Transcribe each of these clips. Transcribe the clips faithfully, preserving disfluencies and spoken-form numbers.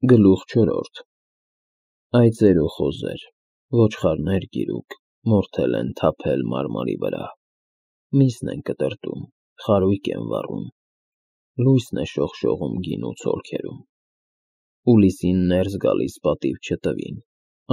Գլուխ չորրորդ Այծեր ու խոզեր, ոչխարներ գիրուկ, մորթել են թափել մարմարի վրա, միսն են կտրտում, խարույկ են վառում, լույսն է շողշողում գինու ցոլքերում, ուլիսին ներս գալիս պատիվ չտվին,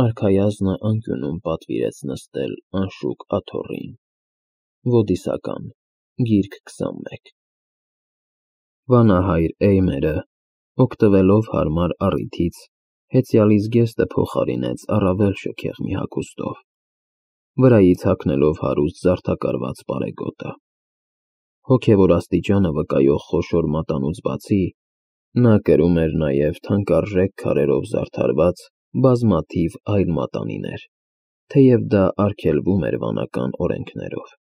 արքայազնը անկյունում պատվիրեց նստել անշուք աթոռին, ոդիսական, գիրք քսանմեկ Վանահայր Էյմերը, օգտվելով հարմար առիթից, հեծյալի զգեստը փոխարինեց առավել շքեղ մի հագուստով, վրայից հագնելով հարուստ զարդակարված պարեգոտը, հոգևոր աստիճանը վկայող խոշոր մատանուց բացի, նա կրում էր նաև թանկարժեք քարերով զարդարված բազմաթիվ այլ մատանիներ, թեև դա արգելվում էր վանական օրենքներով,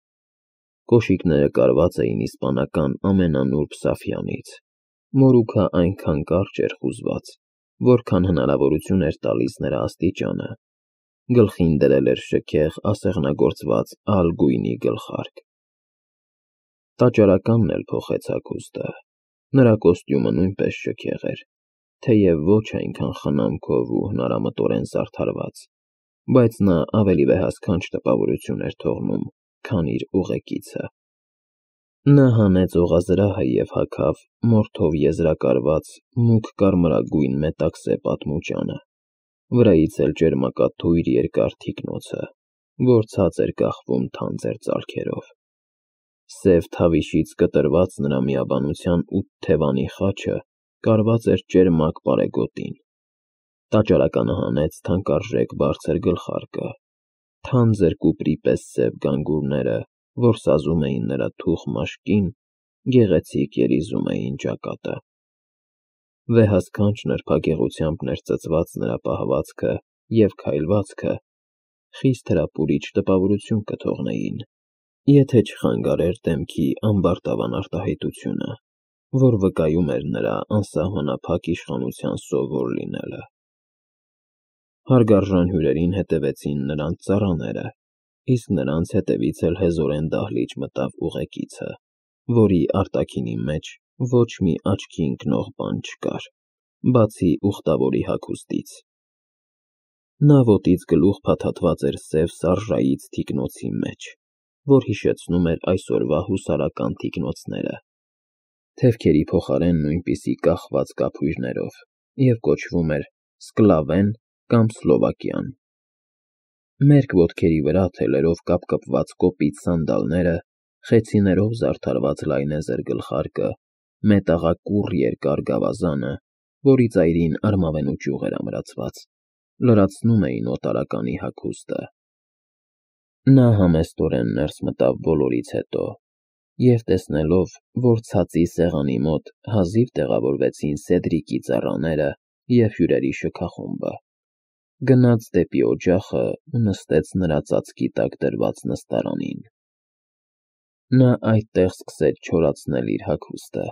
կոշիկները կարված էին իսպանական ամենանուրբ սաֆյանից, մորուքը այնքան կարճ էր խուզված, որքան հնարավորություն էր տալիս նրա աստիճանը, գլխին դրել էր շքեղ ասեղնագործված ալ գույնի գլխարկ, տաճարականն էլ փոխեց հագուստը, նրա կոստյումը նույնպես շքեղ էր, թեև ոչ այնքան խնամքով ու հնարամտորեն զարդարված, բայց նա ավելի վեհասքանչ տպավորություն էր թողնում, քան իր ուղեկիցը, նա հանեց օղազրահը և հագավ մորթով եզրակարված մուգ կարմրագույն մետաքսե պատմուճանը, վրայից էլ ճերմակաթույր երկար թիկնոցը, որ ցած էր կախվում թանձր ծալքերով, սև թավիշից կտրված նրա միաբանության ութ թևանի խաչը կարված էր ճերմակ պարեգոտին, տաճարականը հանեց թանկարժեք բարձր գլխարկը, թանձր կուպրի պես սև գանգուրները, որ սազում էին նրա թուխ մաշկին, գեղեցիկ երիզում էին ճակատը, վեհասքանչ նրբագեղությամբ ներծծված նրա պահվածքը և քայլվածքը խիստ հրապուրիչ տպավորություն կթողնեին, եթե չխանգարեր դեմքի ամբարտավան արտահայտությունը, որ վկայում էր նրա անսահմանափակ իշխանության սովոր լինելը, հարգարժան հյուրերին հետևեցին նրանց ծառաները, իսկ նրանց հետևից էլ հեզորեն դահլիճ մտավ ուղեկիցը, որի արտաքինի մեջ ոչ մի աչքի ընկնող բան չկար, բացի ուխտավորի հագուստից, նա ոտից գլուխ փաթաթված էր սև սարժայից թիկնոցի մեջ, որ հիշեցնում էր այսօրվա հուսարական թիկնոցները, թևքերի փոխարեն նույնպիսի կախված կափույրներով և կոչվում էր Սկլավեն կամ Սլովակյան, մերկ ոտքերի վրա թելերով կապկպված կոպիտ սանդալները, խեցիներով զարդարված լայնեզր գլխարկը, մետաղակուռ երկար գավազանը, որի ծայրին արմավենու ճյուղ էր ամրացված, լրացնում էին օտարականի հագուստը, նա համեստորեն ներս մտավ բոլորից հետո, և տեսնելով, որ ցածի սեղանի մոտ հազիվ տեղավորվեցին Սեդրիկի ծառաները և հյուրերի շքախումբը, գնաց դեպի օջախը ու նստեց նրա ծածկի տակ դրված նստարանին, նա այդտեղ սկսեց չորացնել իր հագուստը,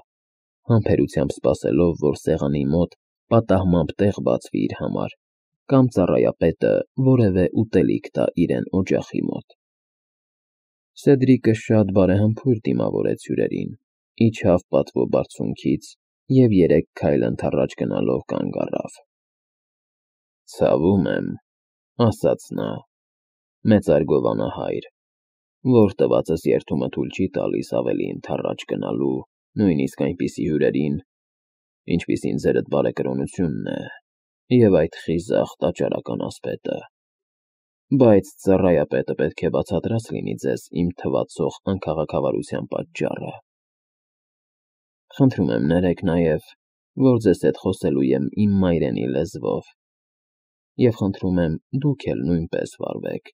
համբերությամբ սպասելով, որ սեղանի մոտ պատահմամբ տեղ բացվի իր համար, կամ ծառայապետը որևէ ուտելիք տա իրեն օջախի մոտ, Սեդրիկը շատ բարեհմբույր դիմավորեց հյուրերին, իջավ պատվո բարձունքից և երեք քայլ ընդառաջ գնալով կանգ առավ, «Ցավում եմ,֊ ասաց նա,֊ մեծարգո վանահայր, որ տվածս երդումը թույլ չի տալիս ավելի ընդառաջ գնալու նույնիսկ այնպիսի հյուրերին, ինչպիսին ձերդ բարեկրոնությունն է և այդ խիզախ տաճարական ասպետը, բայց ծառայապետը պետք է բացատրած լինի ձեզ իմ թվացող անքաղաքավարության պատճառը, խնդրում եմ ներեք նաև, որ ձեզ հետ խոսելու եմ իմ մայրենի լեզվով, և խնդրում եմ դուք էլ նույնպես վարվեք,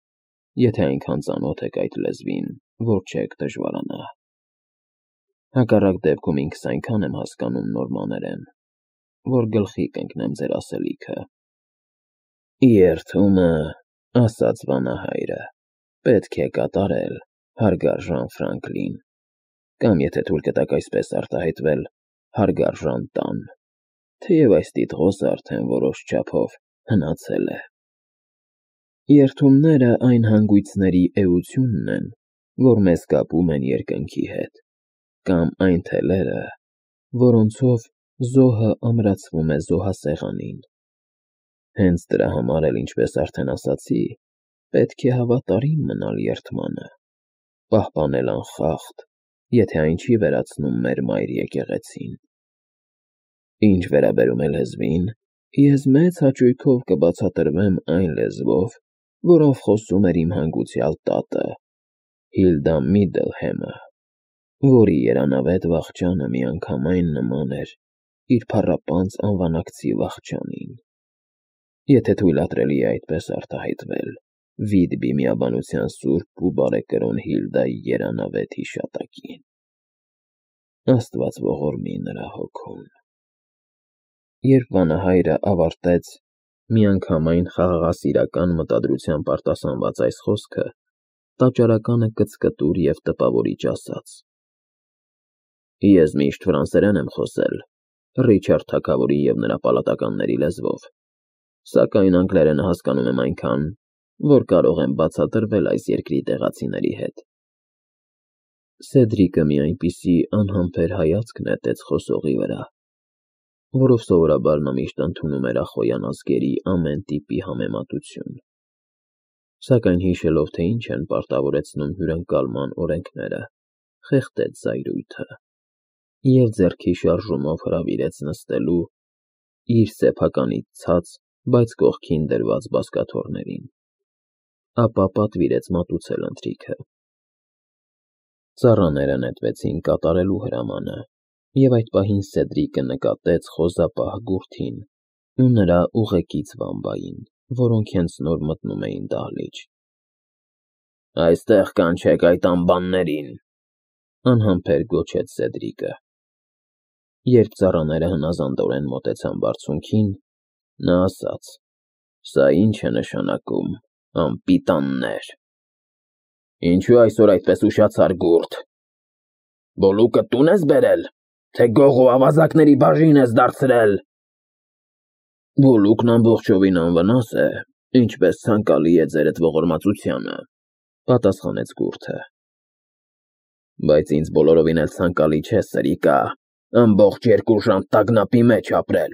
եթե այնքան ծանոթ եք այդ լեզվին, որ չեք դժվարանա, հակառակ դեպքում ինքս այնքան եմ հասկանում նորմաներեն, որ գլխի կընկնեմ ձեր ասելիքը»։ «Երդումը,֊ ասաց վանահայրը,֊ պետք է կատարել, հարգարժան Ֆրանկլին, կամ եթե թույլ կտաք այսպես արտահայտվել, հարգարժան տան, թեև այս տիտղոսը արդեն որոշ չափով հնացել է։ Երդումները այն հանգույցների էությունն են, որ մեզ կապում են երկնքի հետ, կամ այն թելերը, որոնցով Զոհը ամրացվում է զոհասեղանին։ Հենց դրա համար էլ, ինչպես արդեն ասացի, պետք է հավատարիմ մնալ երդմանը, պահպանել անխախտ, եթե այն չի վերացնում մեր մայր եկեղեցին։ Ինչ վերաբերում է լեզվին, ես մեծ հաճույքով կբացատրվեմ այն լեզվով, որով խոսում էր իմ հանգուցյալ տատը, Հիլդա Միդլհեմը, որի երանավետ վախճանը միանգամայն նման էր իր փառապանծ անվանակցի վախճանին, եթե թույլատրելի է այդպես արտահայտվել Վիդբի միաբանության սուրբ ու բարեկրոն Հիլդայի երանավետ հիշատակին։ Աստված ողորմի նրա հոգուն։ Երբ վանահայրը ավարտեց միանգամայն խաղաղասիրական մտադրությամբ արտասանված այս խոսքը, տաճարականը կծկտուր և տպավորիչ ասաց. Ես միշտ ֆրանսերեն եմ խոսել, Ռիչարդ թագավորի և նրա պալատականների լեզվով, սակայն անգլերենը հասկանում եմ այնքան, որ կարող եմ բացատրվել այս երկրի տեղացիների հետ։ Սեդրիկը մի այնպիսի անհամբեր հայացք նետեց խոսողի վրա, որով սովորաբար նա միշտ ընդունում էր ախոյան ազգերի ամեն տիպի համեմատություն, սակայն հիշելով, թե ինչ են պարտավորեցնում հյուրընկալման օրենքները, խեղդեց զայրույթը և ձեռքի շարժումով հրավիրեց նստելու իր սեփականից ցած, բայց կողքին դրված բազկաթոռներին, ապա պատվիրեց մատուցել ընթրիքը։ Ծառաները նետվեցին կատարելու հրամանը, և այդ պահին Սեդրիկը նկատեց խոզապահ գուրթին ու նրա ուղեկից վամբային, որոնք հենց նոր մտնում էին դահլիճ։ Այստեղ կանչեք այդ անբաններին, անհամբեր գոչեց Սեդրիկը։ Երբ ծառաները հնազանդորեն մոտեցան բարձունքին, նա ասաց. Սա ինչ է նշանակում, անպիտաններ։ Ինչու այսօր այդպես ուշացար, գուրդ։ Բոլուկը տուն ես բերել, թե գող ու ավազակների բաժին ես դարձրել։ Բոլուկն ամբողջովին անվնաս է, ինչպես ցանկալի է ձերդ ողորմածությանը, պատասխանեց գուրդը։ Բայց ինձ բոլորովին էլ ցանկալի չէ, սրիկա, ամբողջ երկու ժամ տագնապի մեջ ապրել,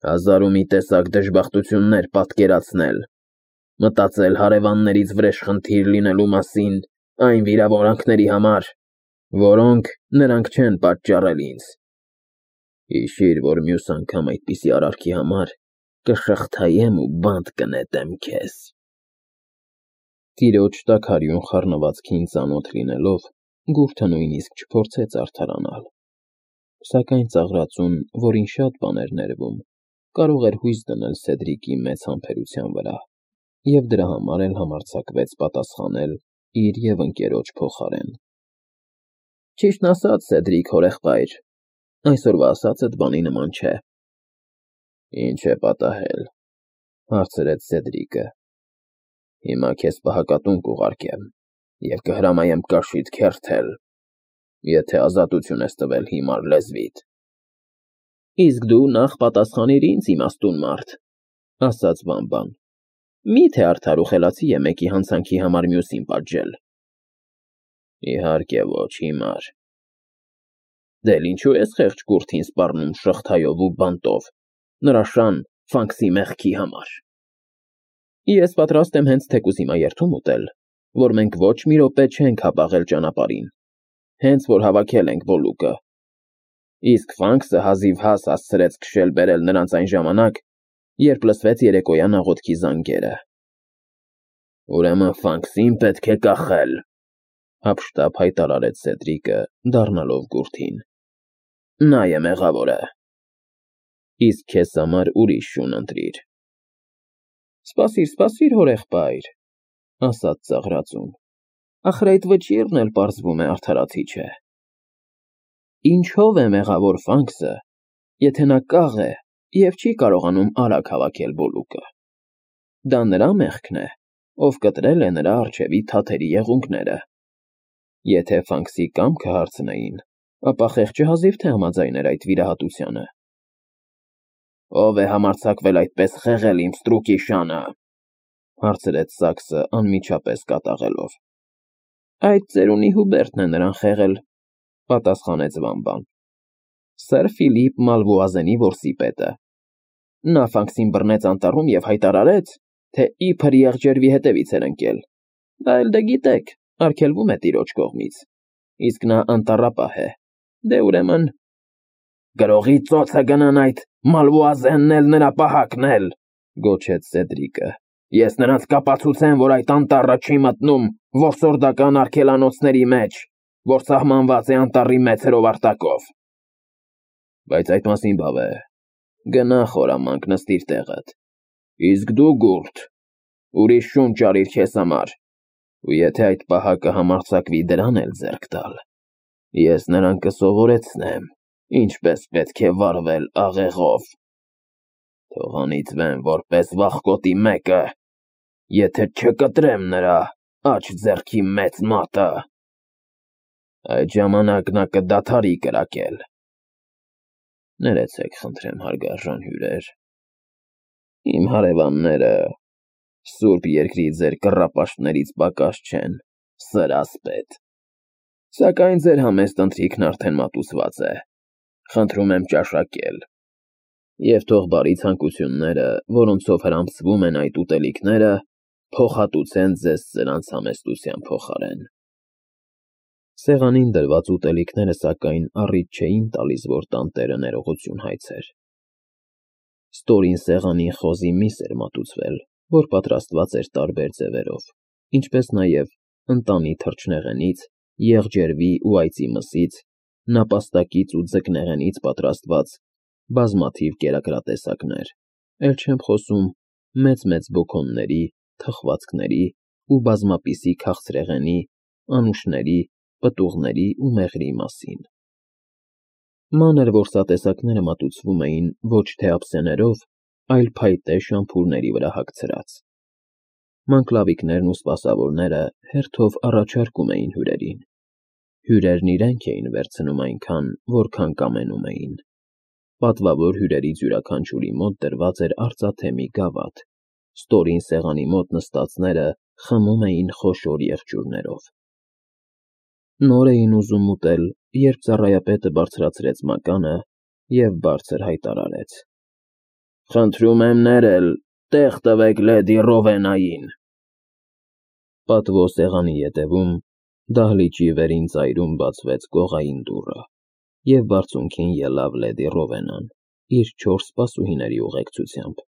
հազար ու մի տեսակ դժբախտություններ պատկերացնել, մտածել հարևաններից վրեժխնդիր լինելու մասին այն վիրավորանքների համար, որոնք նրանք չեն պատճառել ինձ։ Հիշիր, որ մյուս անգամ այդպիսի արարքի համար կշղթայեմ ու բանտ կնետեմ քեզ։ Տիրոջ տաքարյուն խառնվածքին ծանոթ լինելով, գուրդը նույնիսկ չփորձեց արդարանալ, սակայն ծաղրածուն, որին շատ բան էր ներվում, կարող էր հույս դնել Սեդրիկի մեծ համբերության վրա, և դրա համար էլ համարձակվեց պատասխանել իր և ընկերոջ փոխարեն։ Ճիշտն ասած, Սեդրիկ հորեղբայր, այսօրվա ասածդ բանի նման չէ։ Ինչ է պատահել, հարցրեց Սեդրիկը։ Հիմա քեզ պահակատուն կուղարկեմ և կհրամայեմ կաշիդ քերթել, եթե ազատություն ես տվել հիմար լեզվիդ։ Իսկ դու նախ պատասխանիր ինձ, իմաստուն մարդ, ասաց վամբան, միթե արդար ու խելացի է մեկի հանցանքի համար մյուսին պատժել։ Իհարկե ոչ, հիմար։ Դե ինչու ես խեղճ գուրդին սպառնում շղթայով ու բանտով, նրա շան Ֆանքսի մեղքի համար։ Ես պատրաստ եմ հենց թեկուզ հիմա երդում ուտել, որ մենք ոչ մի րոպե չենք հապաղել ճանապարհին, հենց որ հավաքել ենք Բոլուկը։ Իսկ Ֆանքսը հազիվհազ հասցրեց քշել֊բերել նրանց այն ժամանակ, երբ լսվեց երեկոյան աղոթքի զանգերը։ Ուրեմն Ֆանքսին պետք է կախել, հափշտապ հայտարարեց Սեդրիկը, դառնալով գուրդին։ Նա է մեղավորը։ Իսկ քեզ համար ուրիշ շուն ընտրիր։ Սպասիր, սպասիր, հորեղբայր, ասաց ծաղրածուն, ախր այդ վճիռն էլ պարզվում է արդարացի չէ։ Ինչով է մեղավոր Ֆանքսը, եթե նա կաղ է և չի կարողանում արագ հավաքել Բոլուկը։ Դա նրա մեղքն է, ով կտրել է նրա առջևի թաթերի եղունգները։ Եթե Ֆանքսի կամքը հարցնեին, ապա խեղճը հազիվ թե համաձայներ այդ վիրահատությանը։ Ո՞վ է համարձակվել այդպես խեղել իմ ստրուկի շանը, հարցրեց Սաքսը անմիջապես կատաղելով։ Այդ ծերունի Հուբերտն է նրան խեղել, պատասխանեց վամբան։ Սեր Ֆիլիպ Մալվուազենի որսիպետը։ Նա Ֆանքսին բռնեց անտառում և հայտարարեց, թե իբր եղջերվի հետևից էր ընկել։ Դա էլ դե գիտեք, արգելվում է տիրոջ կողմից, իսկ նա անտառապահ է։ Դե ուրեմն… Գրողի ծոցը գնան այդ Մալվուազենն էլ նրա պահակն էլ, գոչեց Սեդրիկը։ Ես նրանց կապացուցեմ, որ այդ անտառը չի մտնում որսորդական արգելանոցների մեջ, որ սահմանված է անտառի մեծ հրովարտակով։ Բայց այդ մասին բավ է, գնա խորամանկ նստիր տեղդ, իսկ դու Գուրտ, ուրիշ շունչ արիր քեզ համար, ու եթե այդ պահակը համարձակվի դրան էլ ձեռք տալ, ես նրան կսովորեցնեմ, ինչպես պետք է վարվել աղեղով։ Թող անիծվեմ որպես վախկոտի մեկը, եթե չկտրեմ նրա աջ ձեռքի մեծ մատը, այդ ժամանակ նա կդադարի կրակել։ Ներեցեք, խնդրեմ, հարգարժան հյուրեր, իմ հարևանները սուրբ երկրի ձեր կռապաշտներից պակաս չեն, սրասպետ, սակայն ձեր համեստ ընթրիքն արդեն մատուցված է, խնդրում եմ ճաշակել, և թող բարի ցանկությունները, որոնցով հրամփվում են այդ ուտելիքները, փոխհատուցեն ձեզ սրանց համեստության փոխարեն։ Սեղանին դրված ուտելիքները, սակայն, առիթ չէին տալիս, որ տանտերը ներողություն հայցեր։ Ստորին սեղանին խոզի միս էր մատուցվել, որ պատրաստված էր տարբեր ձևերով, ինչպես նաև ընտանի թռչնեղենից, եղջերվի ու այծի մսից, նապաստակից ու ձկնեղենից պատրաստված բազմաթիվ կերակրատեսակներ, էլ չեմ խոսում մեծ-մեծ բոքոնների, թխվածքների ու բազմապիսի քաղցրեղենի, անուշների, պտուղների ու մեղրի մասին։ Մանր որսատեսակները մատուցվում էին ոչ թե ափսեներով, այլ փայտե շամփուրների վրա հագցրած։ Մանկլավիկներն ու սպասավորները հերթով առաջարկում էին հյուրերին։ Հյուրերն իրենք էին վերցնում այնքան, որքան կամենում էին։ Պատվավոր հյուրերից յուրաքանչյուրի մոտ դրված էր արծաթե մի գավաթ, ստորին սեղանի մոտ նստածները խմում էին խոշոր եղջյուրներով։ Նոր էին ուզում ուտել, երբ ծառայապետը բարձրացրեց մականը և բարձր հայտարարեց. Խնդրում եմ ներել, տեղ տվեք լեդի Ռովենային։ Պատվո սեղանի ետևում, դահլիճի վերին ծայրում բացվեց կողային դուռը, և բարձունքին ելավ լեդի Ռովենան իր չորս սպասուհիների ուղեկցությամբ։